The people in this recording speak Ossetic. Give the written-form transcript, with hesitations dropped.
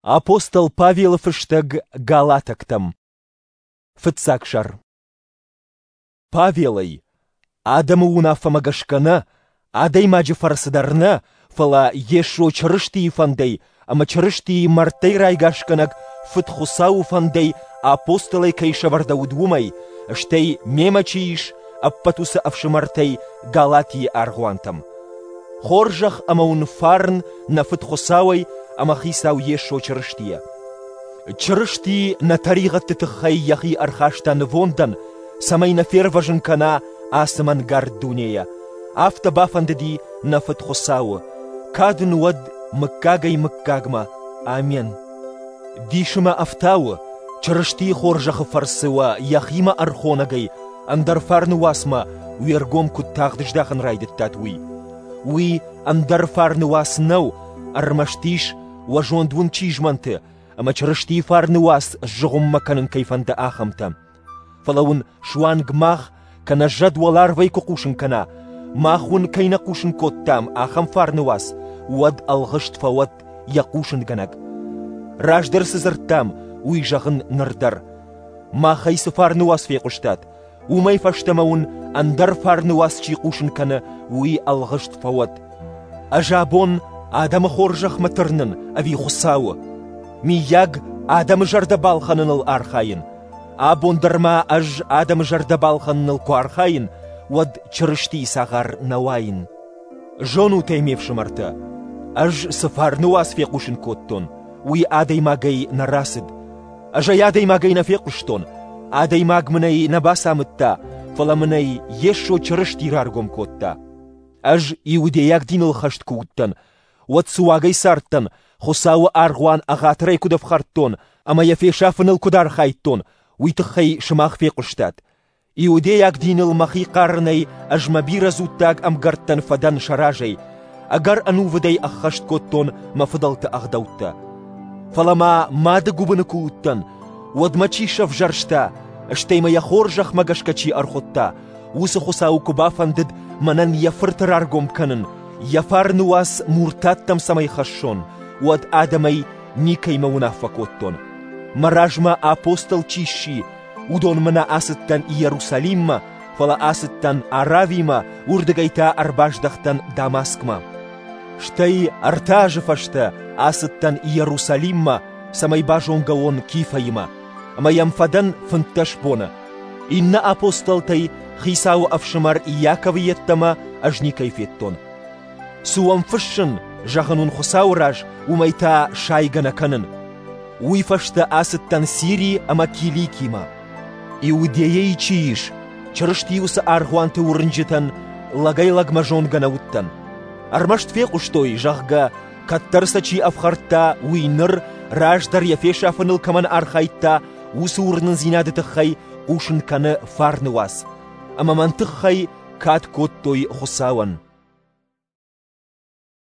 Апостол Павелы фыстӕг Галатӕгтӕм. Фыццаг сӕр. Павелӕй, адӕмы уынаффӕмӕ гӕсгӕ нӕ, адӕймаджы фӕрцы дӕр нӕ, фӕлӕ Йесо Чырыстийы фӕндӕй ӕмӕ Чырыстийы мӕрдтӕй райгасгӕнӕг Фыд Хуыцауы фӕндӕй апостолӕй кӕй сӕвӕрдӕуыд, уымӕй, стӕй мемӕ чи ис, ӕппӕт уыцы ӕфсымӕртӕй Галатийы аргъуантӕм. Хорзӕх ӕмӕ уын фарн нӕ Фыд Хуыцауӕй ӕмӕ Хицау Йесо Чырыстийӕ. Чырысти нӕ тӕригъӕдты тыххӕй йӕхи ӕрхаста нывондӕн, цӕмӕй нӕ фервӕзын кӕна ацы мӕнгард дунейӕ. Афтӕ бафӕндыди нӕ Фыд Хуыцауы. Кад ын уӕд мыггагӕй-мыггагмӕ. Амен. Дисы мӕ ӕфтауы, Чырыстийы хорзӕхы фӕрцы уӕ йӕхимӕ ӕрхонӕгӕй ӕндӕр фарны уацмӕ уе ргом куыд тагъд здахын райдыдтат, уый. Уый ӕндӕр фарны уац нӕу, ӕрмӕст ис, уӕ зонд уын чи змӕнты, ӕмӕ Чырыстийы фарны уац сзыгъуыммӕ кӕнын кӕй фӕнды, ахӕмтӕ. Фӕлӕ уын суанг мах, кӕнӕ зӕд уӕларвӕй куы хъусын кӕна, мах уын кӕй нӕ хъусын кодтам, ахӕм фарны уац, уӕд ӕлгъыст фӕуӕд йӕ хъусынгӕнӕг. Раздӕр цы дзырдтам, уый зӕгъын ныр дӕр. Махӕй цы фарны уац фехъуыстат, уымӕй фӕстӕмӕ уын ӕндӕр фарны уац чи хъусын кӕны, уый ӕлгъыст фӕуӕд. Ӕз абон адӕмы хорзӕхмӕ тырнын ӕви Хуыцауы? Миййаг, адӕмы зӕрдӕ балхӕныныл архайын? Абон дӕр ма ӕз адӕмы зӕрдӕ балхӕныныл куы архайын, уӕд Чырыстийы цагъар нӕ уаин. Зонут ӕй, ме фсымӕртӕ, ӕз цы фарны уац фехъусын кодтон, уый адӕймагӕй нӕ рацыд. Ӕз ӕй адӕймагӕй нӕ фехъуыстон, адӕймаг мын ӕй нӕ бацамыдта, фӕлӕ мын ӕй Йесо Чырысти раргом кодта. Ӕз иудейаг диныл хӕст куы уыдтӕн, уӕд цы уагӕй цардтӕн, Хуыцауы аргъуан ӕгъатырӕй куыд ӕфхӕрдтон ӕмӕ йӕ фесафыныл куыд архайдтон, уый тыххӕй сымах фехъуыстат. Иудейаг диныл мӕхи хъарынӕй ӕз мӕ бирӕ дзуттаг ӕмгӕрттӕн фӕдӕн сӕ разӕй, ӕгӕр ӕнувыдӕй ӕххӕст кодтон мӕ фыдӕлты ӕгъдӕуттӕ. Фӕлӕ ма мады гуыбыны куы уыдтӕн, уӕд мӕ чи сӕвзӕрста, стӕй мӕ йӕ хорзӕхмӕ гӕсгӕ чи ӕрхуыдта, уыцы Хуыцауы куы бафӕндыд мӕнӕн йӕ фырты раргом кӕнын, йӕ фарны уац муртаттӕм цӕмӕй хӕссон, уӕд адӕмӕй никӕимӕ уынаффӕ кодтон. Мӕ размӕ апостол чи сси, уыдонмӕ нӕ ацыдтӕн Иерусалиммӕ, фӕлӕ ацыдтӕн Аравимӕ, уырдыгӕй та ӕрбаздӕхтӕн Дамаскмӕ. Стӕй ӕртӕ азы фӕстӕ ацыдтӕн Иерусалиммӕ, цӕмӕй базонгӕ уон Кифӕимӕ, ӕмӕ йӕм фӕдӕн 15 боны. Иннӕ апостолтӕй Хицауы ӕфсымӕр Иаковы йеддӕмӕ ӕз никӕй федтон. Цы уӕм фыссын, зӕгъын уын Хуыцауы раз, уымӕй та сайгӕ нӕ кӕнын. Уый фӕстӕ ацыдтӕн Сири ӕмӕ Киликимӕ. Иудейӕйы чи ис, Чырысти уыцы аргъуанты уырнджытӕн лӕгӕй-лӕгмӕ зонгӕ нӕ уыдтӕн. Ӕрмӕст фехъуыстой, зӕгъгӕ, кӕддӕр сӕ чи ӕфхӕрдта, уый ныр, раздӕр йӕ фесафыныл кӕмӕн архайдта, уыцы уырнындзинады тыххӕй хъусын кӕны фарны уац. Ӕмӕ мӕн тыххӕй кад кодтой Хуыцауӕн.